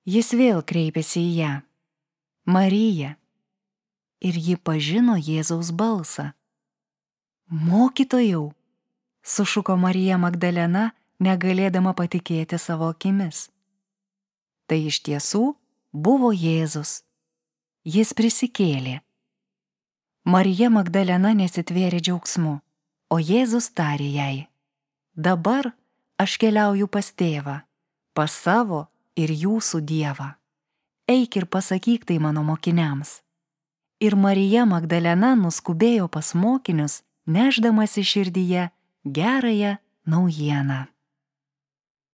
Jis vėl kreipėsi į ją. Marija. Ir ji pažino Jėzaus balsą. Mokytojau, sušuko Marija Magdalena, negalėdama patikėti savo akimis. Tai iš tiesų buvo Jėzus. Jis prisikėlė. Marija Magdalena nesitvėrė džiaugsmu, o Jėzus tarė jai: Dabar aš keliauju pas tėvą, pas savo ir jūsų Dievą. Eik ir pasakyk tai mano mokiniams. Ir Marija Magdalena nuskubėjo pas mokinius, nešdamasi širdyje gerąją naujieną.